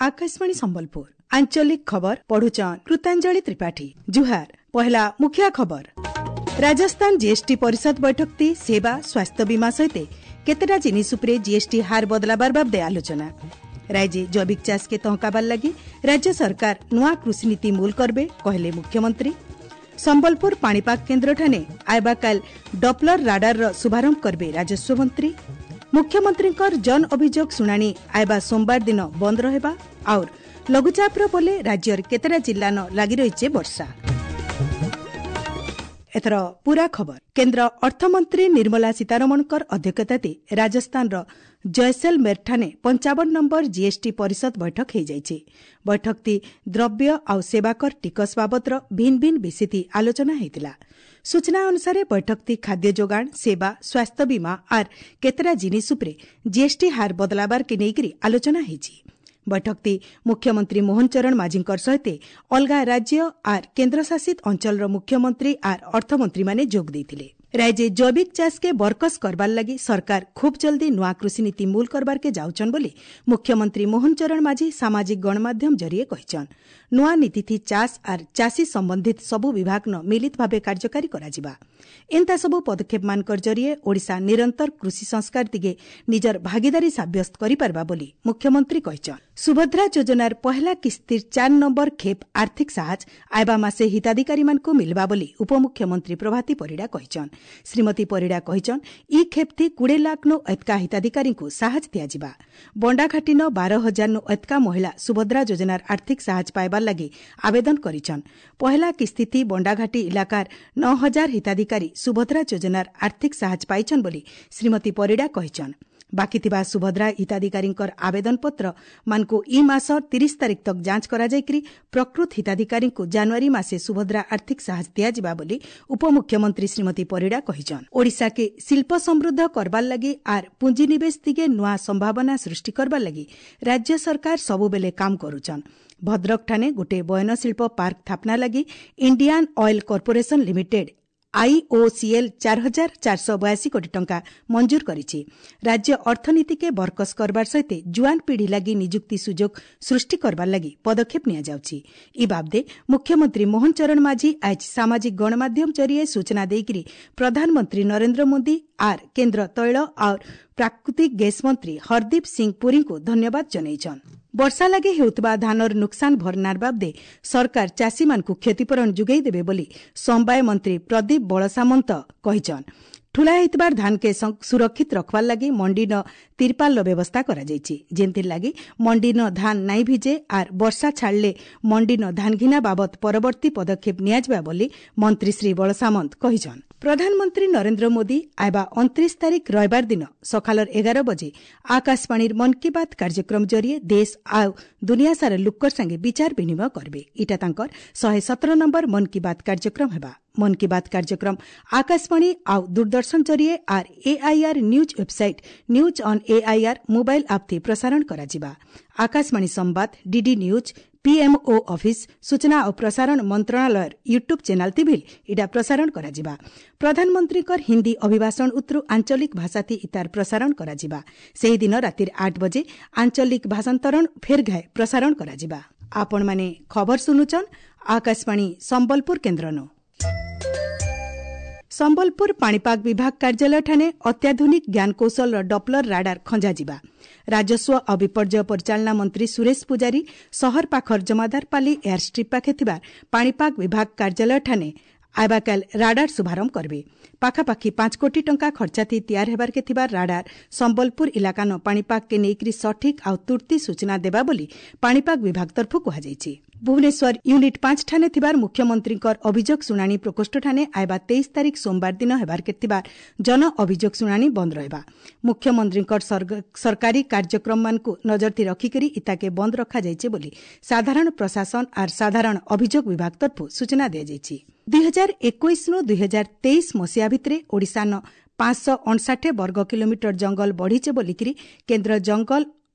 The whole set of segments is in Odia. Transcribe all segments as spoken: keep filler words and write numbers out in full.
ଆକାଶବାଣୀ ସମ୍ବଲପୁର ଆଞ୍ଚଳିକ ଖବର ପଢୁଛନ୍ କୃତାଞ୍ଜଳି ତ୍ରିପାଠୀ ଜୁହାର ପହିଲା ମୁଖିଆ ଖବର ରାଜସ୍ଥାନ ଜିଏସଟି ପରିଷଦ ବୈଠକତି ସେବା ସ୍ୱାସ୍ଥ୍ୟ ବୀମା ସହିତ କେତେଟା ଜିନିଷ ଉପରେ ଜିଏସଟି ହାର ବଦଲାବାର ବାବଦେ ଆଲୋଚନା ରାଜ୍ୟ ଜୈବିକ ଚାଷକେ ତହକାବାର ଲାଗି ରାଜ୍ୟ ସରକାର ନୂଆ କୃଷିନୀତି ମୂଲ କରବେ କହିଲେ ମୁଖ୍ୟମନ୍ତ୍ରୀ ସମ୍ବଲପୁର ପାଣିପାଗ କେନ୍ଦ୍ରଠାନେ ଆଇବାକାଲ ଡପ୍ଲର ରାଡାରର ଶୁଭାରମ୍ଭ କରିବେ ରାଜସ୍ୱ ମନ୍ତ୍ରୀ ମୁଖ୍ୟମନ୍ତ୍ରୀଙ୍କର ଜନ ଅଭିଯୋଗ ଶୁଣାଣି ଆଇବା ସୋମବାର ଦିନ ବନ୍ଦ ରହିବା ଆଉର ଲଘୁଚାପର ବଲେ ରାଜ୍ୟର କେତେଟା ଜିଲ୍ଲାନ ଲାଗି ରହିଛି ବର୍ଷା ଏଥର ପୁରା ଖବର କେନ୍ଦ୍ର ଅର୍ଥମନ୍ତ୍ରୀ ନିର୍ମଳା ସୀତାରମଣଙ୍କର ଅଧ୍ୟକ୍ଷତାରେ ରାଜସ୍ଥାନର ଜୟସେଲମେରଠାରେ ପଞ୍ଚାବନ ନମ୍ବର ଜିଏସଟି ପରିଷଦ ବୈଠକ ହୋଇଯାଇଛି ବୈଠକଟି ଦ୍ରବ୍ୟ ଆଉ ସେବାକର ଟିକସ ବାବଦର ଭିନ୍ନ ଭିନ୍ନ ବିଷୟତି ଆଲୋଚନା ହୋଇଥିଲା ସୂଚନା ଅନୁସାରେ ବୈଠକଟି ଖାଦ୍ୟ ଯୋଗାଣ ସେବା ସ୍ୱାସ୍ଥ୍ୟ ବୀମା ଆର୍ କେତେଟା ଜିନିଷ ଉପରେ ଜିଏସଟି ହାର ବଦଲାବାରକେ ନେଇକରି ଆଲୋଚନା ହୋଇଛି ବୈଠକଟି ମୁଖ୍ୟମନ୍ତ୍ରୀ ମୋହନ ଚରଣ ମାଝୀଙ୍କର ସହିତ ଅଲଗା ରାଜ୍ୟ ଆର୍ କେନ୍ଦ୍ରଶାସିତ ଅଞ୍ଚଳର ମୁଖ୍ୟମନ୍ତ୍ରୀ ଆର୍ ଅର୍ଥମନ୍ତ୍ରୀମାନେ ଯୋଗ ଦେଇଥିଲେ ରାଜ୍ୟ ଜୈବିକ ଚାଷକେ ବରକସ କରବାର ଲାଗି ସରକାର ଖୁବ୍ ଜଲ୍ଦି ନୂଆ କୃଷିନୀତି ମୂଲ କରବାରକେ ଯାଉଛନ୍ ବୋଲି ମୁଖ୍ୟମନ୍ତ୍ରୀ ମୋହନ ଚରଣ ମାଝୀ ସାମାଜିକ ଗଣମାଧ୍ୟମ ଜରିଏ କହିଛନ୍ ନୂଆ ନୀତିଥି ଚାଷ ଆର୍ ଚାଷୀ ସମ୍ବନ୍ଧିତ ସବୁ ବିଭାଗନ ମିଳିତ ଭାବେ କାର୍ଯ୍ୟକାରୀ କରାଯିବା ଏନ୍ତା ସବୁ ପଦକ୍ଷେପମାନଙ୍କର ଜରିଏ ଓଡ଼ିଶା ନିରନ୍ତର କୃଷି ସଂସ୍କାର ଦିଗେ ନିଜର ଭାଗିଦାରୀ ସାବ୍ୟସ୍ତ କରିପାରବା ବୋଲି ମୁଖ୍ୟମନ୍ତ୍ରୀ କହିଛନ୍ ସୁଭଦ୍ରା ଯୋଜନାର ପହଲା କିସ୍ତିର ଚାର ନମ୍ବର ଖେପ୍ ଆର୍ଥିକ ସାହାଯ୍ୟ ଆଇବା ମାସେ ହିତାଧିକାରୀମାନଙ୍କୁ ମିଲବା ବୋଲି ଉପମୁଖ୍ୟମନ୍ତ୍ରୀ ପ୍ରଭାତୀ ପରିଡ଼ା କହିଛନ୍ ଶ୍ରୀମତୀ ପରିଡ଼ା କହିଛନ୍ ଇ ଖେପ୍ଥି କୁଡ଼େ ଲାଖ୍ନୁ ଏତ୍କା ହିତାଧିକାରୀଙ୍କୁ ସାହାଯ୍ୟ ଦିଆଯିବା ବଣ୍ଡାଘାଟିନ ବାର ହଜାରନୁ ଏତ୍କା ମହିଳା ସୁଭଦ୍ରା ଯୋଜନାର ଆର୍ଥିକ ସାହାଯ୍ୟ ପାଇବାର ଲାଗି ଆବେଦନ କରିଛନ୍ ପହଲା କିସ୍ତିଥି ବଣ୍ଡାଘାଟି ଇଲାକାର ନଅ ହଜାର ହିତାଧିକାରୀ ସୁଭଦ୍ରା ଯୋଜନାର ଆର୍ଥିକ ସାହାଯ୍ୟ ପାଇଛନ୍ ବୋଲି ଶ୍ରୀମତୀ ପରିଡ଼ା କହିଛନ୍ ବାକି ଥିବା ସୁଭଦ୍ରା ହିତାଧିକାରୀଙ୍କର ଆବେଦନପତ୍ର ମାନଙ୍କୁ ଇ ମାସ ତିରିଶ ତାରିଖ ତକ୍ ଯାଞ୍ଚ କରାଯାଇକରି ପ୍ରକୃତ ହିତାଧିକାରୀଙ୍କୁ ଜାନୁଆରୀ ମାସେ ସୁଭଦ୍ରା ଆର୍ଥିକ ସାହାଯ୍ୟ ଦିଆଯିବା ବୋଲି ଉପମୁଖ୍ୟମନ୍ତ୍ରୀ ଶ୍ରୀମତୀ ପରିଡ଼ା କହିଛନ୍ ଓଡ଼ିଶାକେ ଶିଳ୍ପ ସମୃଦ୍ଧ କରବାର ଲାଗି ଆର୍ ପୁଞ୍ଜିନିବେଶ ଦିଗେ ନୂଆ ସମ୍ଭାବନା ସୃଷ୍ଟି କରବାର ଲାଗି ରାଜ୍ୟ ସରକାର ସବୁବେଲେ କାମ କରୁଛନ୍ ଭଦ୍ରକଠାନେ ଗୋଟିଏ ବୟନଶିଳ୍ପ ପାର୍କ ସ୍ଥାପନା ଲାଗି Indian oil corporation limited IOCL ଚାର ହଜାର ଚାରିଶହ ବୟାଅଶୀ କୋଟି ଟଙ୍କା ମଞ୍ଜୁର କରିଛି ରାଜ୍ୟ ଅର୍ଥନୀତିକେ ବରକସ କରବାର ସହିତ ଜୁଆନ ପିଢ଼ି ଲାଗି ନିଯୁକ୍ତି ସୁଯୋଗ ସୃଷ୍ଟି କରବାର ଲାଗି ପଦକ୍ଷେପ ନିଆଯାଉଛି ଇ ବାବଦେ ମୁଖ୍ୟମନ୍ତ୍ରୀ ମୋହନ ଚରଣ ମାଝୀ ଆଜ ସାମାଜିକ ଗଣମାଧ୍ୟମ ଜରିଏ ସୂଚନା ଦେଇକରି ପ୍ରଧାନମନ୍ତ୍ରୀ ନରେନ୍ଦ୍ର ମୋଦି ଆର୍ କେନ୍ଦ୍ର ତୈଳ ଆଉ ପ୍ରାକୃତିକ ଗ୍ୟାସ୍ ମନ୍ତ୍ରୀ ହରଦୀପ ସିଂ ପୁରୀଙ୍କୁ ଧନ୍ୟବାଦ ଜଣାଇଛନ୍ ବର୍ଷା ଲାଗି ହେଉଥିବା ଧାନର ନୁକସାନ ଭରଣାର ବାବଦେ ସରକାର ଚାଷୀମାନଙ୍କୁ କ୍ଷତିପୂରଣ ଯୋଗାଇ ଦେବେ ବୋଲି ସମବାୟ ମନ୍ତ୍ରୀ ପ୍ରଦୀପ ବଳସାମନ୍ତ କହିଛନ୍ ଠୁଲା ହେଇଥିବାର ଧାନକେ ସୁରକ୍ଷିତ ରଖବାର ଲାଗି ମଣ୍ଡିନ ତିରପାଲର ବ୍ୟବସ୍ଥା କରାଯାଇଛି ଯେନ୍ଥିର୍ ଲାଗି ମଣ୍ଡିନ ଧାନ ନାଇଁ ଭିଜେ ଆର୍ ବର୍ଷା ଛାଡ଼ଲେ ମଣ୍ଡିନ ଧାନ ଘିନା ବାବଦ ପରବର୍ତ୍ତୀ ପଦକ୍ଷେପ ନିଆଯିବା ବୋଲି ମନ୍ତ୍ରୀ ଶ୍ରୀ ବଳସାମନ୍ତ କହିଛନ୍ ପ୍ରଧାନମନ୍ତ୍ରୀ ନରେନ୍ଦ୍ର ମୋଦି ଆଇବା ଅଣତିରିଶ ତାରିଖ ରବିବାର ଦିନ ସକାଳର ଏଗାର ବଜେ ଆକାଶବାଣୀର ମନ୍ କି ବାତ୍ କାର୍ଯ୍ୟକ୍ରମ ଜରିଏ ଦେଶ ଆଉ ଦୁନିଆ ସାରା ଲୋକର ସାଙ୍ଗେ ବିଚାର ବିନିମୟ କରିବେ ଇଟା ତାଙ୍କର ଶହେ ସତର ନମ୍ବର ମନ୍ କି ବାତ୍ କାର୍ଯ୍ୟକ୍ରମ ହେବା ମନ୍ କି ବାତ୍ କାର୍ଯ୍ୟକ୍ରମ ଆକାଶବାଣୀ ଆଉ ଦୂରଦର୍ଶନ ଜରିଏ ଆର୍ AIR news website news on AIR mobile app ଥି ପ୍ରସାରଣ କରାଯିବା ଆକାଶବାଣୀ ସମ୍ବାଦ ଡିଡି ନ୍ୟୁଜ୍ ପିଏମ୍ଓ ଅଫିସ୍ ସୂଚନା ଓ ପ୍ରସାରଣ ମନ୍ତ୍ରଣାଳୟର ୟୁଟ୍ୟୁବ୍ ଚ୍ୟାନେଲ୍ ତି ଭିଲ୍ ଇଟା ପ୍ରସାରଣ କରାଯିବା ପ୍ରଧାନମନ୍ତ୍ରୀଙ୍କର ହିନ୍ଦୀ ଅଭିଭାଷଣ ଉତ୍ରୁ ଆଞ୍ଚଳିକ ଭାଷାଥି ଇତାର ପ୍ରସାରଣ କରାଯିବା ସେହିଦିନ ରାତିର ଆଠ ବଜେ ଆଞ୍ଚଳିକ ଭାଷାନ୍ତରଣ ଫେର୍ ଘାଏ ପ୍ରସାରଣ କରାଯିବା ଆପଣମାନେ ଖବର ଶୁଣୁଛନ୍ ଆକାଶବାଣୀ ସମ୍ବଲପୁର କେନ୍ଦ୍ରନୁ ସମ୍ବଲପୁର ପାଣିପାଗ ବିଭାଗ କାର୍ଯ୍ୟାଳୟଠାନେ ଅତ୍ୟାଧୁନିକ ଜ୍ଞାନକୌଶଳର ଡପ୍ଲର ରାଡାର ଖଞ୍ଜାଯିବା ରାଜସ୍ୱ ଓ ବିପର୍ଯ୍ୟୟ ପରିଚାଳନା ମନ୍ତ୍ରୀ ସୁରେଶ ପୂଜାରୀ ସହର ପାଖର ଜମାଦାରପାଲି ଏୟାରଷ୍ଟ୍ରିପ୍ ପାଖେ ଥିବା ପାଣିପାଗ ବିଭାଗ କାର୍ଯ୍ୟାଳୟଠାନେ ଆଇବାକାଲ ରାଡାର ଶୁଭାରମ୍ଭ କରିବେ ପାଖାପାଖି ପାଞ୍ଚ କୋଟି ଟଙ୍କା ଖର୍ଚ୍ଚାଥି ତିଆର ହେବାରକେ ଥିବା ରାଡାର ସମ୍ବଲପୁର ଇଲାକାନ ପାଣିପାଗକେ ନେଇକରି ସଠିକ୍ ଆଉ ତୁର୍ତ୍ତି ସୂଚନା ଦେବା ବୋଲି ପାଣିପାଗ ବିଭାଗ ତରଫରୁ କୁହାଯାଇଛି ଭୁବନେଶ୍ୱର ୟୁନିଟ୍ ପାଞ୍ଚ ଠାନେ ଥିବାର ମୁଖ୍ୟମନ୍ତ୍ରୀଙ୍କର ଅଭିଯୋଗ ଶୁଣାଣି ପ୍ରକୋଷ୍ଠଠାନେ ଆଇବା ତେଇଶ ତାରିଖ ସୋମବାର ଦିନ ହେବାରକେ ଥିବା ଜନ ଅଭିଯୋଗ ଶୁଣାଣି ବନ୍ଦ ରହିବା ମୁଖ୍ୟମନ୍ତ୍ରୀଙ୍କର ସରକାରୀ କାର୍ଯ୍ୟକ୍ରମମାନଙ୍କୁ ନଜରଥି ରଖିକରି ଇତାକେ ବନ୍ଦ ରଖାଯାଇଛି ବୋଲି ସାଧାରଣ ପ୍ରଶାସନ ଆର୍ ସାଧାରଣ ଅଭିଯୋଗ ବିଭାଗ ତରଫରୁ ସୂଚନା ଦିଆଯାଇଛି ଦୁଇ ହଜାର ଏକୋଇଶରୁ ଦୁଇ ହଜାର ତେଇଶ ମସିହା ଭିତରେ ଓଡ଼ିଶାନ ପାଞ୍ଚଶହ ଅଣଷାଠେ ବର୍ଗ କିଲୋମିଟର ଜଙ୍ଗଲ ବଢ଼ିছে ବୋଲିକିରି କେନ୍ଦ୍ର ଜଙ୍ଗଲ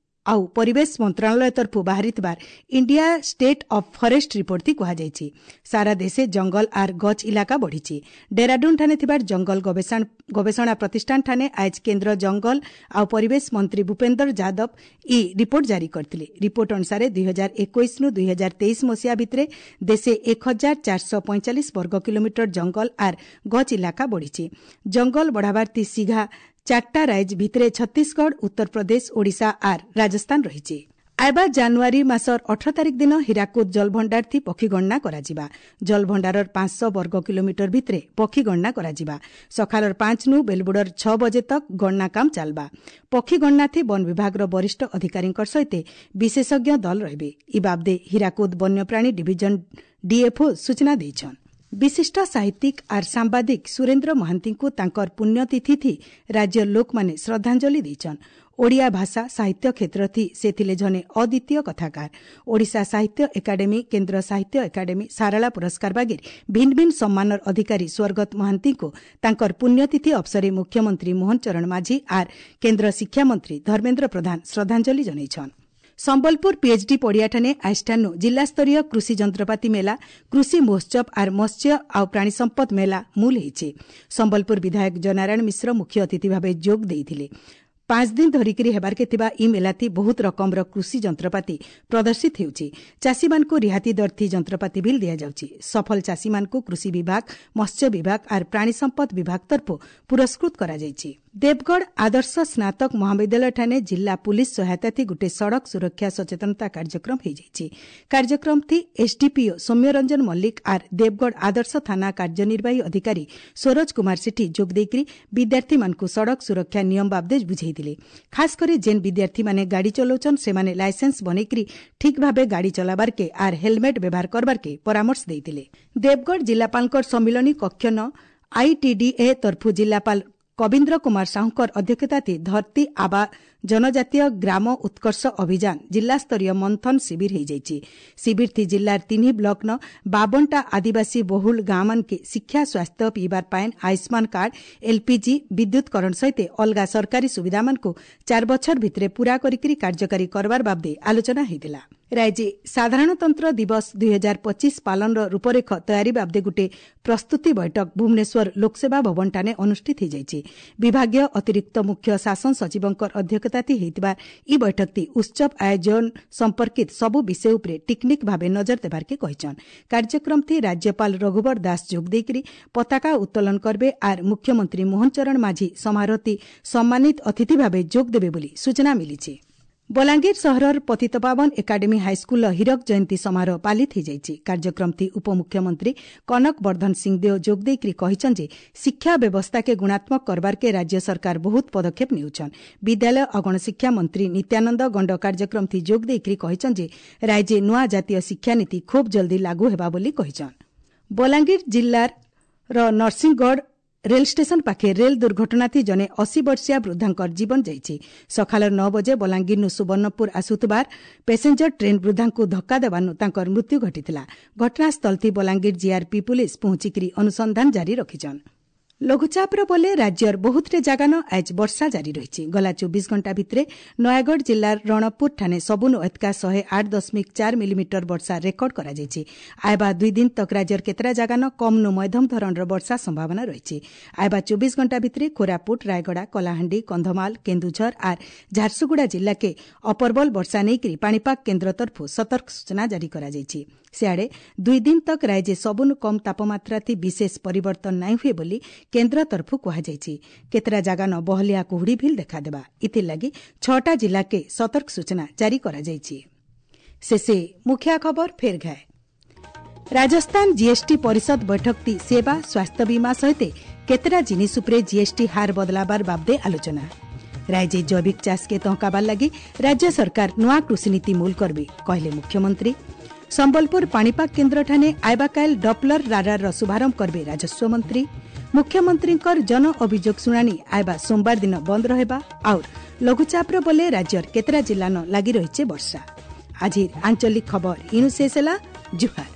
ଆଉ ପରିବେଶ ମନ୍ତ୍ରଣାଳୟ ତରଫୁ ବାହାରିଥିବାର India state of forest report ଥି କୁହାଯାଇଛି। ସାରା ଦେଶେ ଜଙ୍ଗଲ ଆର୍ ଗଛ ଇଲାକା ବଢ଼ିଛି। ଡେରାଡୁନ୍ ଠାନେ ଥିବାର ଜଙ୍ଗଲ ଗବେଷଣା ପ୍ରତିଷ୍ଠାନ ଠାନେ ଆଜ କେନ୍ଦ୍ର ଜଙ୍ଗଲ ଆଉ ପରିବେଶ ମନ୍ତ୍ରୀ ଭୂପେନ୍ଦ୍ର ଯାଦବ ଇ ରିପୋର୍ଟ ଜାରି କରିଥିଲେ। ରିପୋର୍ଟ ଅନୁସାରେ ଦୁଇ ହଜାର ଏକୋଇଶ ନୁ ଦୁଇ ହଜାର ତେଇଶ ମସିହା ଭିତରେ ଦେଶେ ଏକ ହଜାର ଚାରିଶହ ପଇଁଚାଳିଶ ବର୍ଗ କିଲୋମିଟର ଜଙ୍ଗଲ ଆର୍ ଗଛ ଇଲାକା ବଢ଼ିଛି। ଜଙ୍ଗଲ ବଢ଼ାବାର ତି ସିଘା ଚାରିଟା ରାଇଜ ଭିତରେ ଛତିଶଗଡ଼, ଉତ୍ତରପ୍ରଦେଶ, ଓଡ଼ିଶା ଆର୍ ରାଜସ୍ଥାନ ରହିଛି। ଆଇବା ଜାନୁଆରୀ ମାସର ଅଠର ତାରିଖ ଦିନ ହୀରାକୁଦ ଜଳଭଣ୍ଡାର ଥି ପକ୍ଷୀ ଗଣନା କରାଯିବା। ଜଳଭଣ୍ଡାରର ପାଞ୍ଚଶହ ବର୍ଗ କିଲୋମିଟର ଭିତରେ ପକ୍ଷୀ ଗଣନା କରାଯିବା। ସକାଳର ପାଞ୍ଚ ନୁ ବେଲବୁଡ଼ର ଛଅ ବଜେ ତକ୍ ଗଣନା କାମ ଚାଲବା। ପକ୍ଷୀ ଗଣନା ଥି ବନ ବିଭାଗର ବରିଷ୍ଠ ଅଧିକାରୀଙ୍କ ସହିତ ବିଶେଷଜ୍ଞ ଦଳ ରହିବେ। ଇ ବାବଦେ ହୀରାକୁଦ ବନ୍ୟପ୍ରାଣୀ ଡିଭିଜନ ଡିଏଫ୍ଓ ସୂଚନା ଦେଇଛନ୍। ବିଶିଷ୍ଟ ସାହିତ୍ୟିକ ଆର୍ ସାମ୍ବାଦିକ ସୁରେନ୍ଦ୍ର ମହାନ୍ତିଙ୍କୁ ତାଙ୍କର ପୁଣ୍ୟତିଥି ରାଜ୍ୟ ଲୋକମାନେ ଶ୍ରଦ୍ଧାଞ୍ଜଳି ଦେଇଛନ୍। ଓଡ଼ିଆ ଭାଷା ସାହିତ୍ୟ କ୍ଷେତ୍ର ସେ ଥିଲେ ଜଣେ ଅଦ୍ୱିତୀୟ କଥାକାର। ଓଡ଼ିଶା ସାହିତ୍ୟ ଏକାଡେମୀ, କେନ୍ଦ୍ର ସାହିତ୍ୟ ଏକାଡେମୀ, ସାରଳା ପୁରସ୍କାର ବାଗିର ଭିନ୍ନ ଭିନ୍ନ ସମ୍ମାନର ଅଧିକାରୀ ସ୍ୱର୍ଗତ ମହାନ୍ତିଙ୍କୁ ତାଙ୍କର ପୁଣ୍ୟତିଥି ଅବସରେ ମୁଖ୍ୟମନ୍ତ୍ରୀ ମୋହନ ଚରଣ ମାଝୀ ଆର୍ କେନ୍ଦ୍ର ଶିକ୍ଷାମନ୍ତ୍ରୀ ଧର୍ମେନ୍ଦ୍ର ପ୍ରଧାନ ଶ୍ରଦ୍ଧାଞ୍ଜଳି ଜଣାଇଛନ୍। ସମ୍ବଲପୁର ପିଏଚ୍ଡି ପଡ଼ିଆଠାନେ ଆଇଷ୍ଠାନୁ ଜିଲ୍ଲାସ୍ତରୀୟ କୃଷି ଯନ୍ତ୍ରପାତି ମେଳା, କୃଷି ମହୋତ୍ସବ ଆର୍ ମତ୍ସ୍ୟ ଆଉ ପ୍ରାଣୀ ସମ୍ପଦ ମେଳା ମୂଲ ହେଇଛି। ସମ୍ବଲପୁର ବିଧାୟକ ଜୟନାରାୟଣ ମିଶ୍ର ମୁଖ୍ୟ ଅତିଥି ଭାବେ ଯୋଗ ଦେଇଥିଲେ। ପାଞ୍ଚ ଦିନ ଧରିକିରି ହେବାର୍କେ ଥିବା ଇ ମେଲାଥି ବହୁତ ରକମର କୃଷି ଯନ୍ତ୍ରପାତି ପ୍ରଦର୍ଶିତ ହେଉଛି। ଚାଷୀମାନଙ୍କୁ ରିହାତି ଦରଥି ଯନ୍ତ୍ରପାତି ବିଲ୍ ଦିଆଯାଉଛି। ସଫଳ ଚାଷୀମାନଙ୍କୁ କୃଷି ବିଭାଗ, ମତ୍ସ୍ୟ ବିଭାଗ ଆର୍ ପ୍ରାଣୀ ସମ୍ପଦ ବିଭାଗ ତରଫରୁ ପୁରସ୍କୃତ କରାଯାଇଛି। ଦେବଗଡ଼ ଆଦର୍ଶ ସ୍ନାତକ ମହାବିଦ୍ୟାଳୟଠାନେ ଜିଲ୍ଲା ପୁଲିସ୍ ସହାୟତାଥି ଗୋଟିଏ ସଡ଼କ ସୁରକ୍ଷା ସଚେତନତା କାର୍ଯ୍ୟକ୍ରମ ହୋଇଯାଇଛି। କାର୍ଯ୍ୟକ୍ରମଥି ଏସ୍ଡିପିଓ ସୌମ୍ୟରଞ୍ଜନ ମଲ୍ଲିକ ଆର୍ ଦେବଗଡ଼ ଆଦର୍ଶ ଥାନା କାର୍ଯ୍ୟନିର୍ବାହୀ ଅଧିକାରୀ ସରୋଜ କୁମାର ସେଠୀ ଯୋଗ ଦେଇକରି ବିଦ୍ୟାର୍ଥୀମାନଙ୍କୁ ସଡ଼କ ସୁରକ୍ଷା ନିୟମ ବାବଦେ ବୁଝେଇଥିଲେ। ଖାସ୍ କରି ଯେନ୍ ବିଦ୍ୟାର୍ଥୀମାନେ ଗାଡ଼ି ଚଲାଉଛନ୍ ସେମାନେ ଲାଇସେନ୍ସ ବନେଇକରି ଠିକ୍ ଭାବେ ଗାଡ଼ି ଚଲାବାର୍କେ ଆର୍ ହେଲମେଟ୍ ବ୍ୟବହାର କରବାର୍କେ ପରାମର୍ଶ ଦେଇଥିଲେ। ଦେବଗଡ଼ ଜିଲ୍ଲାପାଳଙ୍କର ସମ୍ମିଳନୀ କକ୍ଷ ନ ଆଇଟିଡିଏ ତରଫୁ ଜିଲ୍ଲାପାଳ କବୀନ୍ଦ୍ର କୁମାର ସାହୁଙ୍କର ଅଧ୍ୟକ୍ଷତାଥି ଧରତୀ ଆବା ଜନଜାତୀୟ ଗ୍ରାମ ଉତ୍କର୍ଷ ଅଭିଯାନ ଜିଲ୍ଲାସ୍ତରୀୟ ମନ୍ଥନ ଶିବିର ହୋଇଯାଇଛି। ଶିବିରଥି ଜିଲ୍ଲାର ତିନି ବ୍ଲକନ ବାବନଟା ଆଦିବାସୀ ବହୁଳ ଗାଁମାନକେ ଶିକ୍ଷା, ସ୍ୱାସ୍ଥ୍ୟ, ପିଇବାର ପାଏନ୍, ଆୟୁଷ୍ମାନ କାର୍ଡ, ଏଲ୍ପିଜି, ବିଦ୍ୟୁତକରଣ ସହିତ ଅଲଗା ସରକାରୀ ସୁବିଧାମାନଙ୍କୁ ଚାରି ବଛର ଭିତରେ ପୂରା କରିକି କାର୍ଯ୍ୟକାରୀ କରବାର ବାବଦେ ଆଲୋଚନା ହୋଇଥିଲା। ରାଜ୍ୟ ସାଧାରଣତନ୍ତ୍ର ଦିବସ ଦୁଇ ହଜାର ପଚିଶ ପାଳନର ରୂପରେଖ ତୟାରୀ ବାବଦେ ଗୋଟିଏ ପ୍ରସ୍ତୁତି ବୈଠକ ଭୁବନେଶ୍ୱର ଲୋକସେବା ଭବନଠାନେ ଅନୁଷ୍ଠିତ ହୋଇଯାଇଛି। ବିଭାଗୀୟ ଅତିରିକ୍ତ ମୁଖ୍ୟ ଶାସନ ସଚିବଙ୍କ ଅଧ୍ୟକ୍ଷତାଥି ହୋଇଥିବା ଇ ବୈଠକଟି ଉତ୍ସବ ଆୟୋଜନ ସମ୍ପର୍କିତ ସବୁ ବିଷୟ ଉପରେ ଟିକ୍ନିକ୍ ଭାବେ ନଜର ଦେବାର୍କେ କହିଛନ୍। କାର୍ଯ୍ୟକ୍ରମଥି ରାଜ୍ୟପାଳ ରଘୁବର ଦାସ ଯୋଗ ଦେଇକରି ପତାକା ଉତ୍ତୋଳନ କରିବେ ଆର୍ ମୁଖ୍ୟମନ୍ତ୍ରୀ ମୋହନ ଚରଣ ମାଝୀ ସମାରୋହଟି ସମ୍ମାନିତ ଅତିଥି ଭାବେ ଯୋଗ ଦେବେ ବୋଲି ସୂଚନା ମିଳିଛି। ବଲାଙ୍ଗୀର ସହରର ପତିତପାବନ ଏକାଡେମୀ ହାଇସ୍କୁଲର ହୀରକ ଜୟନ୍ତୀ ସମାରୋହ ପାଳିତ ହୋଇଯାଇଛି। କାର୍ଯ୍ୟକ୍ରମଥି ଉପମୁଖ୍ୟମନ୍ତ୍ରୀ କନକ ବର୍ଦ୍ଧନ ସିଂଦେଓ ଯୋଗ ଦେଇକରି କହିଛନ୍ତି ଯେ ଶିକ୍ଷା ବ୍ୟବସ୍ଥାକେ ଗୁଣାତ୍ମକ କରବାର୍କେ ରାଜ୍ୟ ସରକାର ବହୁତ ପଦକ୍ଷେପ ନେଉଛନ୍। ବିଦ୍ୟାଳୟ ଓ ଗଣଶିକ୍ଷା ମନ୍ତ୍ରୀ ନିତ୍ୟାନନ୍ଦ ଗଣ୍ଡ କାର୍ଯ୍ୟକ୍ରମଥି ଯୋଗ ଦେଇକରି କହିଛନ୍ତି ଯେ ରାଜ୍ୟ ନୂଆ ଜାତୀୟ ଶିକ୍ଷାନୀତି ଖୁବ୍ ଜଲ୍ଦି ଲାଗୁ ହେବା ବୋଲି କହିଛନ୍। ବଲାଙ୍ଗୀର ଜିଲ୍ଲାର ନରସିଂହଗଡ଼ ରେଲ୍ ଷ୍ଟେସନ ପାଖେ ରେଲ୍ ଦୁର୍ଘଟଣାଥି ଜଣେ ଅଶୀ ବର୍ଷିୟା ବୃଦ୍ଧାଙ୍କର ଜୀବନ ଯାଇଛି। ସକାଳ ନଅ ବଜେ ବଲାଙ୍ଗୀରରୁ ସୁବର୍ଣ୍ଣପୁର ଆସୁଥିବାର ପ୍ୟାସେଞ୍ଜର ଟ୍ରେନ୍ ବୃଦ୍ଧାଙ୍କୁ ଧକ୍କା ଦେବାରୁ ତାଙ୍କର ମୃତ୍ୟୁ ଘଟିଥିଲା। ଘଟଣାସ୍ଥଳଥି ବଲାଙ୍ଗୀର ଜିଆର୍ପି ପୁଲିସ୍ ପହଞ୍ଚିକରି ଅନୁସନ୍ଧାନ ଜାରି ରଖିଛନ୍। ଲଘୁଚାପର ବଲେ ରାଜ୍ୟର ବହୁତଟେ ଜାଗାନ ଆଜ ବର୍ଷା ଜାରି ରହିଛି। ଗଲା ଚବିଶ ଘଣ୍ଟା ଭିତରେ ନୟାଗଡ଼ ଜିଲ୍ଲାର ରଣପୁର ଠାନେ ସବୁନୁ ଏତକା ଶହେ ଆଠ ଦଶମିକ ଚାରି ମିଲିମିଟର ବର୍ଷା ରେକର୍ଡ କରାଯାଇଛି। ଆଇବା ଦୁଇ ଦିନ ତକ ରାଜ୍ୟର କେତେଟା ଜାଗାନ କମ୍ନୁ ମଧ୍ୟମ ଧରଣର ବର୍ଷା ସମ୍ଭାବନା ରହିଛି। ଆଇବା ଚବିଶ ଘଣ୍ଟା ଭିତରେ କୋରାପୁଟ, ରାୟଗଡ଼ା, କଳାହାଣ୍ଡି, କନ୍ଧମାଳ, କେନ୍ଦୁଝର ଆର୍ ଝାରସୁଗୁଡ଼ା ଜିଲ୍ଲାକେ ଅପରବଲ ବର୍ଷା ନେଇକରି ପାଣିପାଗ କେନ୍ଦ୍ର ତରଫରୁ ସତର୍କ ସୂଚନା ଜାରି କରାଯାଇଛି। ସିଆଡ଼େ ଦୁଇ ଦିନ ତକ ରାଜ୍ୟ ସବୁନୁ କମ୍ ତାପମାତ୍ରାଥି ବିଶେଷ ପରିବର୍ତ୍ତନ ନାଇଁ ହୁଏ ବୋଲି କେନ୍ଦ୍ର ତରଫରୁ କୁହାଯାଇଛି। କେତେଟା ଜାଗାନ ବହଲିଆ କୁହୁଡ଼ି ଭିଲ୍ ଦେଖାଦେବା। ଏଥିଲାଗି ଛଅଟା ଜିଲ୍ଲାକେ ସତର୍କ ସୂଚନା ଜାରି କରାଯାଇଛି। ଶେଷେ ମୁଖ୍ୟ ଖବର ଫେର୍ ଘାଏ। ରାଜସ୍ଥାନ ଜିଏସ୍ଟି ପରିଷଦ ବୈଠକଟି ସେବା, ସ୍ୱାସ୍ଥ୍ୟ ବୀମା ସହିତ କେତେଟା ଜିନିଷ ଉପରେ ଜିଏସ୍ଟି ହାର ବଦଲାବାର ବାବଦେ ଆଲୋଚନା। ରାଜ୍ୟ ଜୈବିକ ଚାଷକେ ତହକାବାର ଲାଗି ରାଜ୍ୟ ସରକାର ନୂଆ କୃଷିନୀତି ମୂଲ କରିବେ କହିଲେ ମୁଖ୍ୟମନ୍ତ୍ରୀ। ସମ୍ବଲପୁର ପାଣିପାଗ କେନ୍ଦ୍ରଠାନେ ଆଇବାକାଇଲ ଡପ୍ଲର ରାଡାରର ଶୁଭାରମ୍ଭ କରିବେ ରାଜସ୍ୱ ମନ୍ତ୍ରୀ। ମୁଖ୍ୟମନ୍ତ୍ରୀଙ୍କର ଜନ ଅଭିଯୋଗ ଶୁଣାଣି ଆଇବା ସୋମବାର ଦିନ ବନ୍ଦ ରହିବା। ଆଉ ଲଘୁଚାପର ବଲେ ରାଜ୍ୟର କେତେଟା ଜିଲ୍ଲାନ ଲାଗି ରହିଛି ବର୍ଷା। ଆଜିର ଆଞ୍ଚଳିକ ଖବର ଇନୁ ଶେଷ ହେଲା। ଜୁହାର।